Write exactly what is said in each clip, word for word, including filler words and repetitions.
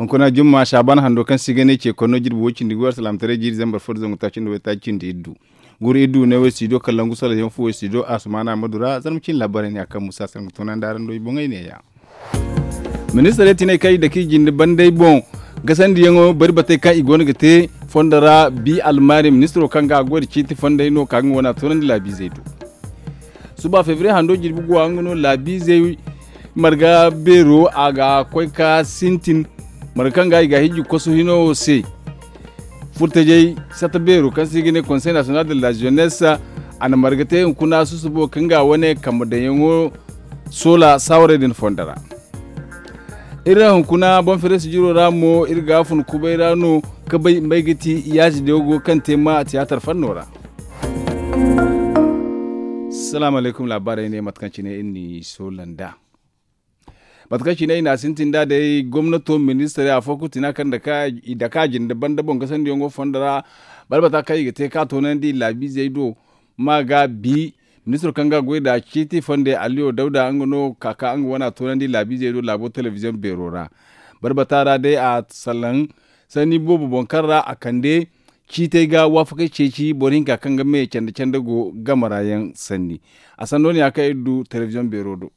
Kuna jumma saaban hando kaŋ se i ga ne ce konno jirbi way cindi gu alsalaamataray jiiri zambar fo nda zangu taaci nda way taaci cindi iddu. Guru iddu ne way siido kala langu sala yaŋ fo way siido a sumaana ma du ra zarma cin laabaray ne a kaŋ musa se nga toonandi araŋ do i boŋey ne- ya. Ministirey tinay kaŋ i dake i jinde banday boŋ gasandiyaŋo bari batey kaŋ i go no ga te fondo ra bi almaari ministiro kaŋ ga a goy nda ciiti fonday no ka ga nga wane a toonandi laabiizey do. Suba febriye hando jirbi guwa nga no laabiizey marga beero a ga koy ka sintin marga kaŋ ga i ga hijji kosu hino wo se. Furtajey satta beero kaŋ se i ga ne konsey nasiyonal de la jeunesse a na marga te hunkuna susubo kaŋ ga wane kambe daŋyaŋo soola saawarey din fondo ra. Iri hunkuna boŋ fereesi jiro ra mo iri ga a fun kubay ra no ka bay mbay ga ti yaazi deego kaŋ te ma tiyaatar fanno ra. Salaamu alaykum laabaarey ne mate kaŋ cine iri n'i soola nd'a. Mate kaŋ cine i n'a sintin nd'a day gomnato ministirey afo kulu tina kaŋ i dake a jinde banda boŋ gasandiyaŋo fondo ra balbata kaŋ i ga te ka toonandi laabiizey do. Ma ga bi ministiro kaŋ ga a goy nd'a ciiti fonde aliyo dawda nga no ka ka nga wane a toonandi laabiizey do laabo telebiziyoŋ beero ra. Balbata ra day a salaŋ sanni boobo boŋ kaŋ ra a kande ciitey ga waafakey ceeci boro hinka kaŋ ga me canda canda go game ra yaŋ sanni. A sanno ne ya kaŋ iri du telebiziyoŋ beero do.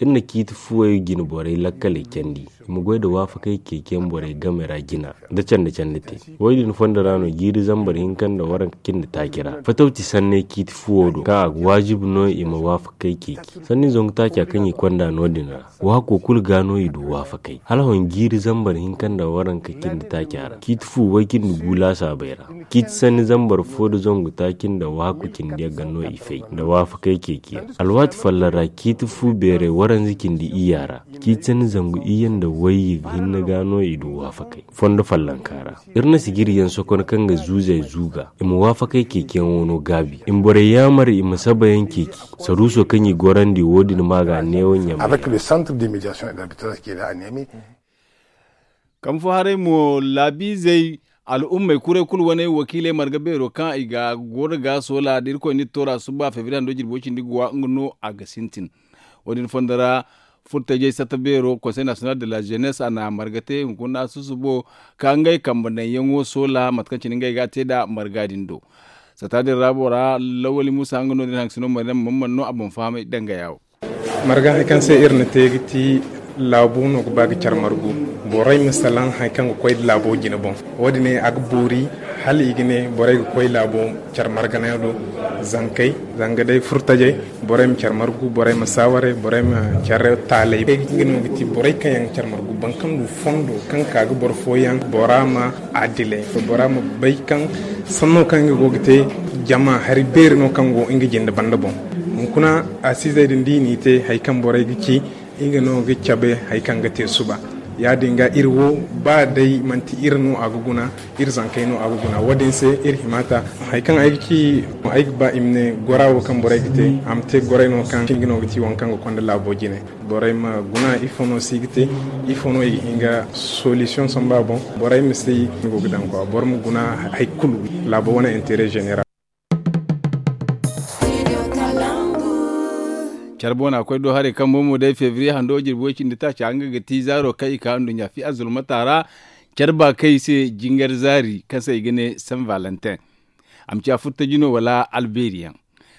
Iri na ciiti fuwey jine borey lakkaley candi i ma goy nda waafakey ceeciyaŋ borey game ra jina nda canda canda te. Wo- din fondo ra no jiiri zambar hinka nda waranka cindi taaci ra fatawti sanney ciiti fuwo do kaŋ a ga waajibi no i ma waafakey ceeci sanni zangu taaca kaŋ i konda no- din ra. Waako kulu ga no i du waafakey hala hon jiiri zambar hinka nda waranka cindi taaca ra ciiti fu way cindi gu laasaabey ra. Ciiti sanni zambar fo nda zangu taaci nda waako cindi yaŋ ga no i fay nda waafakey ceeciyaŋ. Alwaati folloŋ ra ciiti fu beerey waranza cindi iyya ra ciiti sanni zangu iyye nda wayye hinne ga no i du waafakey fondo follonka ra. Iri na sijiriyaŋ sokon kaŋ ga zuuzey zuuga i ma waafakey ceeciyaŋo no gaabi i ma borey yaamar i ma sabayaŋ ceeci. Saruuso kaŋ i gorandi wo- din ma ga neewo ɲamay. Kambe fo haray mo laabiizey al'ummey kuray kulu wane wakiiley marga beero kaŋ i ga goro ga soola da irkoy n'iri toora suba febriye hando jirbi way cindi guwa nga no a ga sintin. Wo- din fondo ra furtajey satta beero konsey nasiyonal de la jeunesse a na marga te hunkuna susubo ka ngey kambe naŋyaŋo soola mate kaŋ cine ngey ga a te nd'a marga din do. Satta din ra bora lawali musa nga no- din haŋ ga sino marga mamman no a boŋ fahamay dangaya wo. Marga hari kaŋ se iri na te ga ti laabu no ga ba ga care margu. Borey ma salaŋ hari kaŋ ga koy nda laabo jine boŋ. Wo- din a ga boori hala i ga ne borey ga koy laabo care marganayaŋ do. Zankey zanga day furtajey borey ma care margu borey ma saawaray borey ma care taalay. Nga no ga ti borey kaŋ yaŋ ga care margu boro kaŋ du fondo kaŋ ka ga boro fooyaŋ bora ma adilay bora ma bay kaŋ sanno kaŋ nga go ga te jama hari beeri no kaŋ go nga jinde banda boŋ. Hunkuna asiizey din da i n'i te hari kaŋ borey ga ci nga no ga cabe hari kaŋ ga te suba. Ya- din ga iri wo ba day manti iri no a ga guna iri zankey no a ga guna wo- din se iri hima ta hari kaŋ ay ga ci ay ga ba i ma ne gora wo kaŋ borey ga te a ma te goray no kaŋ cinga no ga ci waŋ kaŋ ga konda laabo jine. Borey ma guna ifo no se i ga te ifo no i ga hin ga solisiyoŋ samba boŋ. Borey ma se i go ga daŋ kwa boro ma guna hari kulu laabo wane intere zeneral. Care boona koy do haray kaŋ bomo day febriye hando jirbi way cindi taaca nga ga ti zaaro kaŋ i ka nduɲɲa fi azulmata ra. Care ba kaŋ i se jingar zaari kaŋ se i ga ne saint valentin. A ma ciya furtaji no wala alberi yaŋ.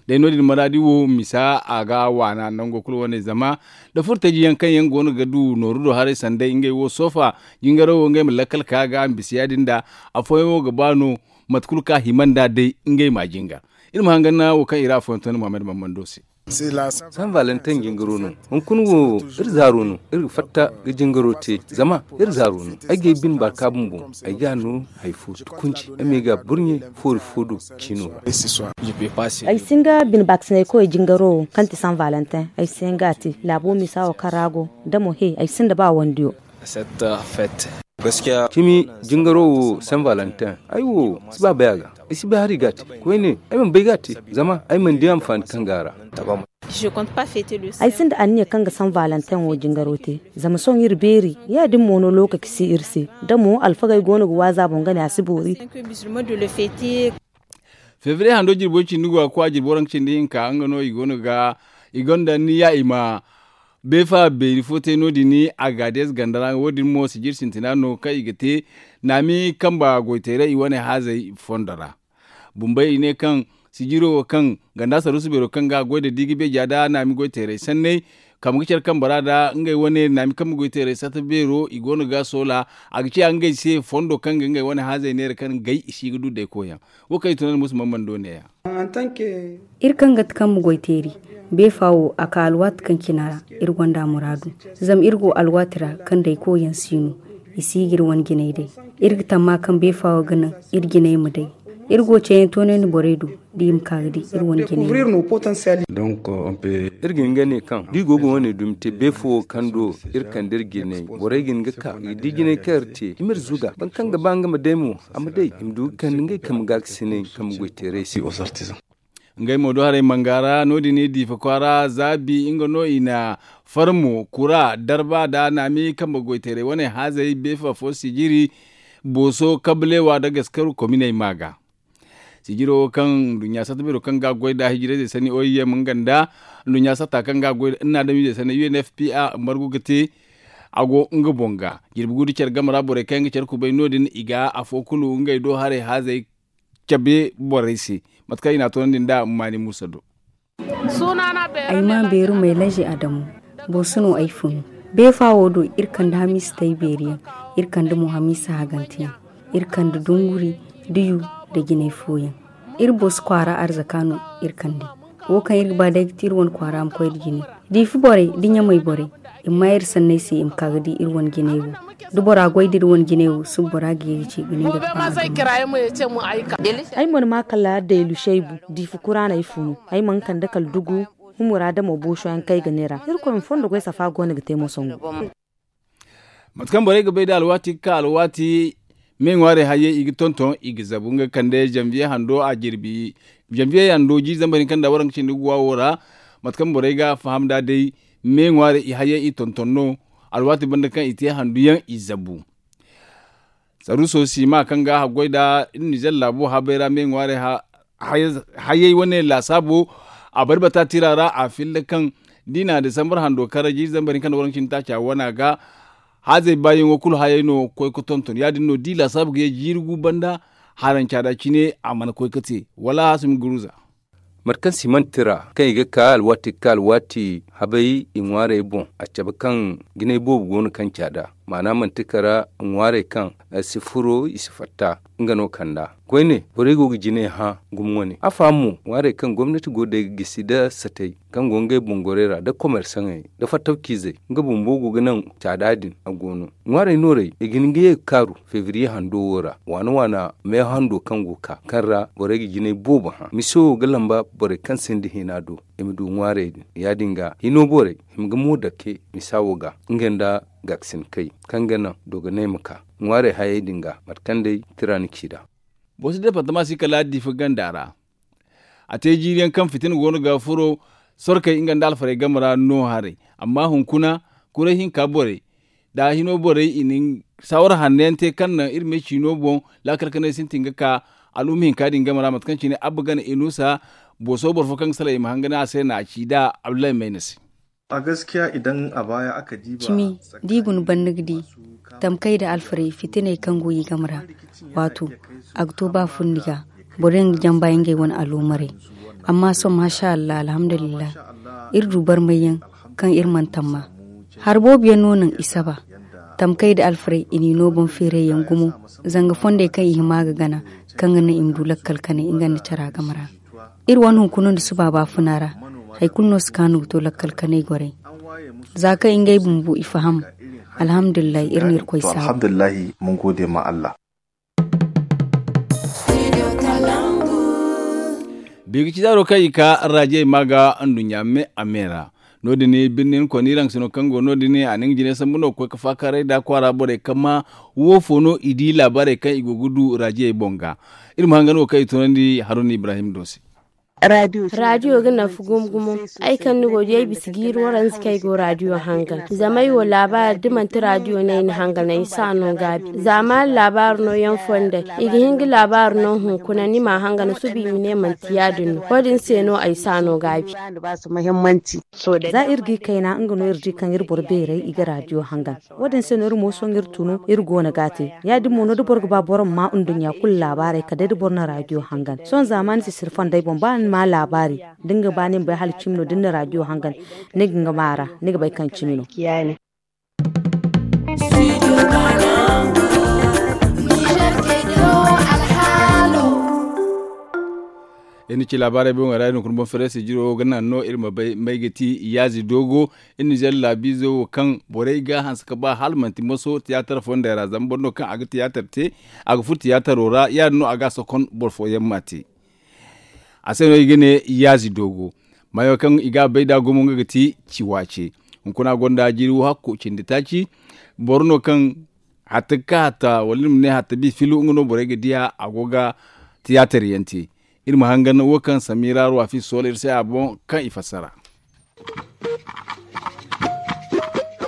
Day no- din maraadi wo misa a ga waana nango kulu wane zama nda furtaji yaŋ kaŋ yaŋ go no ga du nooru do haray sanday ngey wo soofa. Jingaro wo ngey ma lakkal ka ga a ma bisa ya- din da afooyaŋ wo ga ba no. Mate kulu kaŋ a hima nd'a day ngey m'a jingar. Iri ma hangan naŋ wo kaŋ i ra afooyaŋ tondi muhammad mammando se. San valentin jingaro no. Hunkuna wo iri zaaro no iri ga fatta ga jingaro te zama iri zaaro no. Ay ga ay bine baaka bumbo ay ga no hari fo tukunci ay ma ay ga burɲe foori fo do ciino ra. Ay si hin ga bine baakasinay koy jingaro wo kaŋ ti san valentin ay si hin ga a te laabo misa wo kaŋ ra go da mo he ay sinda ba wandiyo. Cimi jingaro wo saint valentin ay wo si ba bay a ga. Ay si bay hari ga a te koyne ay mana bay ga a te zama ay mana di anfaani kaŋ ga a ra. Ay sinda anniya kaŋ ga saint valentin wo jingaro te zama sohõ iri beeri ya- din mo no lookaci si iri se. Da mo alfagey go no ga waaza boŋ ga ne a si boori. Febriye hando jirbo cindi go a kwa jirbo ranka cindi hinka nga no i go no ga i gonda ni ya i ma Beefa beeri fo te no- din, agaades ganda ra wo- din mo sijir sintina no kaŋ i ga te naami kamba goyteeray i wane haazey fondo ra. Bumbey i ne kaŋ sijiro wo kaŋ ganda saruusu beero kaŋ ga a goy nda diigi beeja nda naami goyteeray sanney, kamba ga care kamba ra nda ngey wane naami kamba goyteeray sata beero i go no ga a soola. A ga ciya ngey se fondo kaŋ ga ngey wane haazey neera kaŋ gay i si ga du dayko yaŋ. Wo kaŋ i tun na musu mamman do neeya. Iri kaŋ ga ti kambe goy teeri, beefa wo a ka alwaati kaŋ cine ra, iri gonda muraadu. Zama iri go alwaati ra kaŋ day koyyaŋ si no, i si ga iri wane jinay day. Iri ga tamma kaŋ beefa wo ga naŋ iri jinay ma day. Iri go ceeyaŋ toonandi borey do da i ma ka ga di iri wane jinay. Iri ga hin ga ne kaŋ da i go ga wane dumi te beefo wo kaŋ do iri kande iri jinay, borey ga hin ga ka i ga di jinay kaŋ iri te i ma iri zuga boro kaŋ ga ba nga ma day mo, a ma day i ma du ga kande ngey kambe gaakasiney kambe goyteerey se. Ngey mo do haray manga ra no- din diifa kwaara zaabi nga no i na farmo kura darba nda naami kambe goyteerey wane haazey beefa fo sijiri booso kabalewa nda gaskaru kominey ma ga. Sijiro wo kaŋ nduɲɲa satta beero kaŋ ga a goy nda hijirayzey sanni oim nga nda nduɲɲa satta kaŋ ga a goy nda nda adamizey sanni u n f p a margu ga te. A go nga boŋ ga jirbi gu nda care game ra borey kaŋ yaŋ ga care kubay no- din i ga afo kulu ngey do haray haazey cabe borey se. Mate kaŋ i n'a toonandi nda maani muusa do. Ay ma beeru may laje adamu. Booso no ay funu. Beefa wo do iri kande hamiisa tay beeri yaŋ, iri kande mo hamiisa hagante yaŋ, iri kande dunguri, diyu, nda jinay fooyaŋ. Iri booso kwaara arzaka no iri kande. Wo kaŋ iri ga ba day ga ti iri wane kwaara ma koy nda jine. Diifa borey nda ɲamay borey, i ma maa iri sanney se i ma ka ga di iri wane jinay wo. Da bora goy da iri wane jinay wo suba bora ga ye ga ci ga ne nga ga ba a gama. Ay mana ma kala daylu shaybu diifa kuraaney funu. Ay mana kande kala dugu humura damo booso yaŋ kaŋ ay ga neera irkoy ma fondo goy safa go no ga te mo sangu. Mate kaŋ borey ga bay da alwaati ga ka alwaati me ŋwaarey hayey i ga tonton i ga zabu nga kande zanviye hando a jirbi. Zanviye hando jiiri zambar hinka nda waranka cindi ga wa wo ra. Mate kaŋ borey ga a faham nd'a day me ŋwaarey i hayey i tonton no. Alwaati banda kaŋ i te handu yaŋ i zabu. Saruuso siima kaŋ ga a goy nda nizer laabo habay ra me ŋwaarey hayey wane laasaabo. A bari bata tira ra a filla kaŋ da i na disambar hando kar jiiri zambar hinka nda waranka cindi taaca wana ga. Haazey baayaŋo kulu hayey no ga koy ga tonton ya- din no da i laasaabu ga ye jiiri gu banda. Haranca da cine a mana koy ga te wala haasumi guruza. Mate kaŋ siman tira kaŋ i ga ka alwaati ga ka alwaati habay i ŋwaarey boŋ a cabe kaŋ jinay boobo go no kaŋ caada. Maana manti kara ŋwaarey kaŋ si furo i si fatta nga no kand'a. Koyne borey go ga jinay hã gumo wane a faham mo ŋwaarey kaŋ gomnati go day ga gisi nda satey kaŋ go ngey boŋ gorey ra nda komersaŋey nda fattawciizey nga bumbo go ga naŋ caada din a go no. Ŋwaarey noorey i ga hin ga ye ga kaaru febriye hando wo ra waana waana meeho hando kaŋ go ga ka kaŋ ra borey ga jinay boobo hã miso wo ga lamba borey kaŋ sinda hina do. I ma du ŋwaarey din ya- din ga hino borey i ma ga mo dake misa wo ga nga nda gaakasin kay kaŋ ga naŋ dogonay ma ka ŋwaarey hayey din ga mate kaŋ day tira ni ci nd'a. Boro si departama si kala diifa ganda ra. A te jiiri yaŋ kaŋ fitina go no ga furo sorkey nga nda alfarey game ra no haray. Amma hunkuna kuray hinka borey da hino borey i na saawara hanno yaŋ te kaŋ naŋ iri me ciino boŋ laakal kanay sintin ga ka al'umma hinka din game ra mate kaŋ cine abba gana inusa. Booso boro fo kaŋ ga salaŋ i ma hanga ne a se no a ci nd'a abdullahi mayna se. Cimi da i guna banda ga di tamkay nda alfarey fitiney kaŋ go i game ra. Waato a ga to ba fundi ga boro yaŋ ga jamba ngey wane aloomarey. Amma sohõ maasa allah alhamdulillahi iri du barmay yaŋ kaŋ iri mana tamma. Hari boobo yaŋ no naŋ i saba tamkay nda alfarey i n'i no boŋ feeray yaŋ gumo. Zanga fondey kaŋ i hima ga gana kaŋ ga naŋ i ma du lakkal kanay nga nda cara game ra. Iri wane hunkuna nda suba baafuna ra hari kulu no si kaanu ga to lakkal kanay gorey. Za kaŋ ngey bumbo i faham alhamdulillahi iri na irkoy saabu. Biga ci zaaro kaŋ i ka raajiyey ma ga nduɲɲa me a me ra. No- din birnin konirangs no kaŋ go no- din a na nga jine sambu no ga koy ga faakaaray nda kwaara borey kaŋ ma woofo no i di laabaarey kaŋ i go ga du raajiyey boŋ ga. Iri ma hangan wo kaŋ i tunandi haruna ibrahim do se. Raadiyo ga nafa gumo gumo. Ay kaŋ ni go di ay bisa jiiri waranza kaŋ ay go raadiyo hangan zama ay wo laabaari da manti raadiyo no ay na hangan ay si a no gaabi. Za maari laabaari no yaŋ fondey i ga hin ga laabaari no hunkuna ni ma a hangan suba i ma ne manti ya- din no wo- din se no ay si a no gaabi. Za iri ga i kayna nga no iri di kaŋ iri boro beerey i ga raadiyo hangan. Wo- din se no iri mo sohõ iri tunu iri go no ga a te. Ya- din mo no da boro ga ba boro ma ma nduɲɲa kulu laabaarey kala day da boro na raadiyo hangan sohõ zaamaani si siri fondey boŋ ba ni ma laabaari da ni ga ba ni ma bay hala cimi no da ni na raadiyo hangan ni ga nga ma a ra ni ga bay kaŋ cimi no. Iri na ci laabaarey boŋ ra iri hunkuna boŋ fereesi jiro ga naŋ no iri ma bay may ga ti yaazi doogo. Iri nizeer laabiizo wo kaŋ borey ga a hanse ga ba hala manti moso tiyaatar fondey ra zama boro no kaŋ a ga tiyaatar te a ga furo tiyaataro ra ya- din no a ga a sokon boro fooyaŋ m'a te. A se no i ga ne yaazi doogo. Mayo kaŋ i ga a bay nd'a gumo nga ga ti ciwaace. Hunkuna gonda jiiri wo hakko cindi taaci. Boro no kaŋ hatta ga ka hatta wala ni ma ne hatta bi filu nga no borey ga diya a go ga tiyaatar yaŋ te. Iri ma hangan wo kaŋ samira ruwa fi soola iri se a boŋ kaŋ i fassara.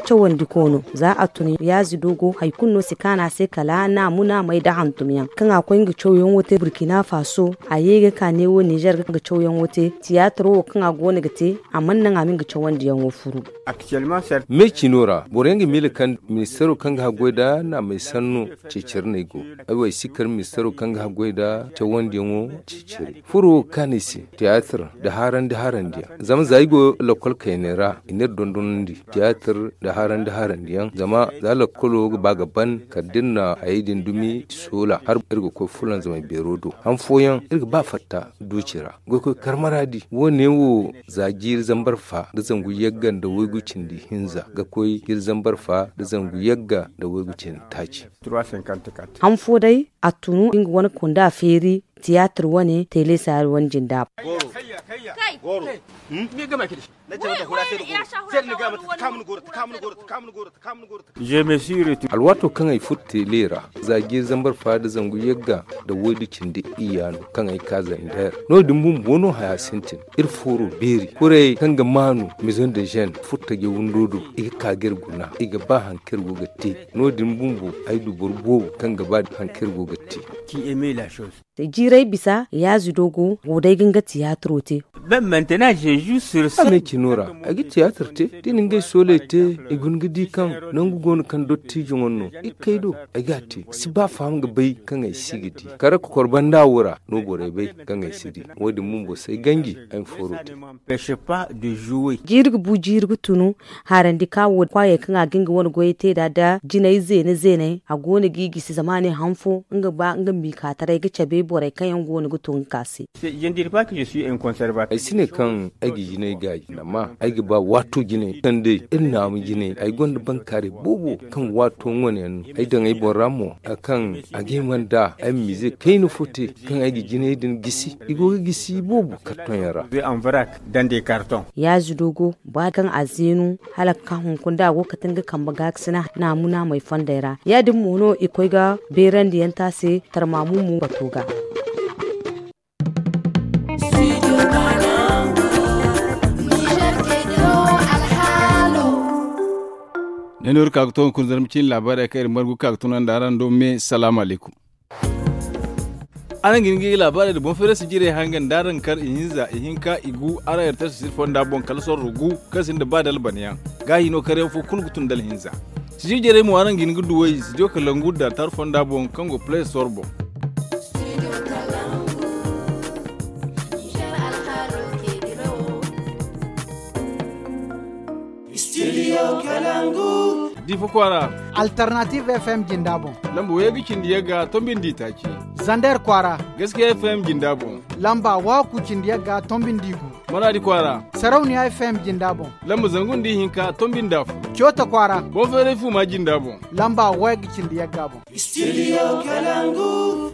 Cawandi koono za a tun yaazi doogo hari kulu no si kaanu a se kala naamuna may nda hantumyaŋ kaŋ a koy nga cawyaŋo te burkina faso. A ye ga ka neewo nizer ga cawyaŋo te tiyaataro wo kaŋ a go no ga te a mana naŋ a ma nga cawandiyaŋo furu. Me cino ra boro yaŋ ga miila kaŋ ministeero kaŋ ga haggoy nda naamey sanno ceeciriney go. Ay wo ay si kar ministeero kaŋ ga haggoy nda cawandiyaŋo ceeciray furo wo ga kaanu ay se tiyaatar nda haarandi harandiyaŋ zama za ay go lakkol kayney ra i n'iri dondonandi. Tiyaatar nda haarandi harandiyaŋ zama za lakkolo ga ba ga ban kala da iri na hayey din dumi soola hala iri ga koy fulanzamay beero do han fooyaŋ iri ga ba fatta duuci ra. Goykoy karmaraadi wo- ne wo za jiiri zambar fa nda zangu yagga nda waygu cindi hinza ga koy jiiri zambar fa nda zangu yagga nda waygu cindi taaci. Han fo day a tunu nga wane kunda feeri tiyaatar wane teele saari wane jinda. Alwaato kaŋ ay furo teele ra za jiiri zambar fa nda zangu yagga nda waydu cindi iyya no kaŋ ay ka zander no- din bumbo no haya sintin. Iri fooro beeri kurey kaŋ ga maanu maison de jeune furo taje windo do i ga ka ga iri guna i ga ba hari kaŋ iri go ga te. No- din bumbo ay du boro boobo kaŋ ga ba hari kaŋ iri go ga te. Jiirey bisa yaazi doogo wo day ga nga tiyaatiro te. Ame cino ra ay ga tiyaatir te da i na ngey sooley te. I guna ga di kaŋ nangu go no kaŋ dottijo wane no i ga kay do ay ga a te si ba faham ga bay kaŋ ay si ga di kara kokor banda wo ra no borey bay kaŋ ay si di. Wo- din bumbo si ay ganji ay ma fooro te. Jiiri ga bu jiiri ga tunu. Haarandi ka wo kwaayey kaŋ a ga nga wane goyey te nd'a da jinay zeene zeeney a go no g'i gisi zama a ne han fo nga ba nga miikaataray ga cabe borey kaŋ yaŋ go no ga to nga ka se. Ay si ne kaŋ ay ga jinay gaaji amma ay ga ba waato jinay kaŋ day iri naamu jinay ay gonda bankaaray boobo kaŋ waato ŋwane yaŋ no ay daŋ ay boŋ ra mo kaŋ a ga hima nd'a ay ma miize kayna fo te kaŋ ay ga jinay din gisi i go ga gisi boobo kartoŋ yaŋ ra. Yaazi doogo ba kaŋ a zeenu hala ga ka hunkuna da a go ga kate nga kambe gaakasina naamu naamey fondey ra. Ya- din mo no i koy ga beerandiyaŋ te a se tarmaamu mo bato ga. Ne no iri ka ga to hunkuna zarma ciine laabaarey kaŋ iri margu ga ka ga tunandi araŋ do me salaamu alaykum. Araŋ ga hin ga i laabaarey nda boŋ feerasi jirey hangan da araŋ kar ihinza ihinka igu araŋ iri tara sisiri fonda boŋ kala sorro gu kaŋ sinda ba da albanyaŋ. Gaahi no karyaŋ fo kulu ga tun da alhinza. Sijir jarey mo araŋ ga hin ga duw'ey studio kalangu da tar fonda boŋ kaŋ go play store boŋ. Studio kalangu. Difa kwaara. Alternative fm jinda boŋ. Lamba wayga cindi yagga tombi nda itaaci. Zander kwaara. Gaskiya fm jinda boŋ. Lamba waku cindi yagga tombi nda igu. Maradi kwaara. Sarauniya fm jinda boŋ. Lamba zangu nda ihinka tombi nda afo. Coota kwaara. Boŋ feeray fuma jinda boŋ. Lamba wayga cindi yagga boŋ. Studio kalangu.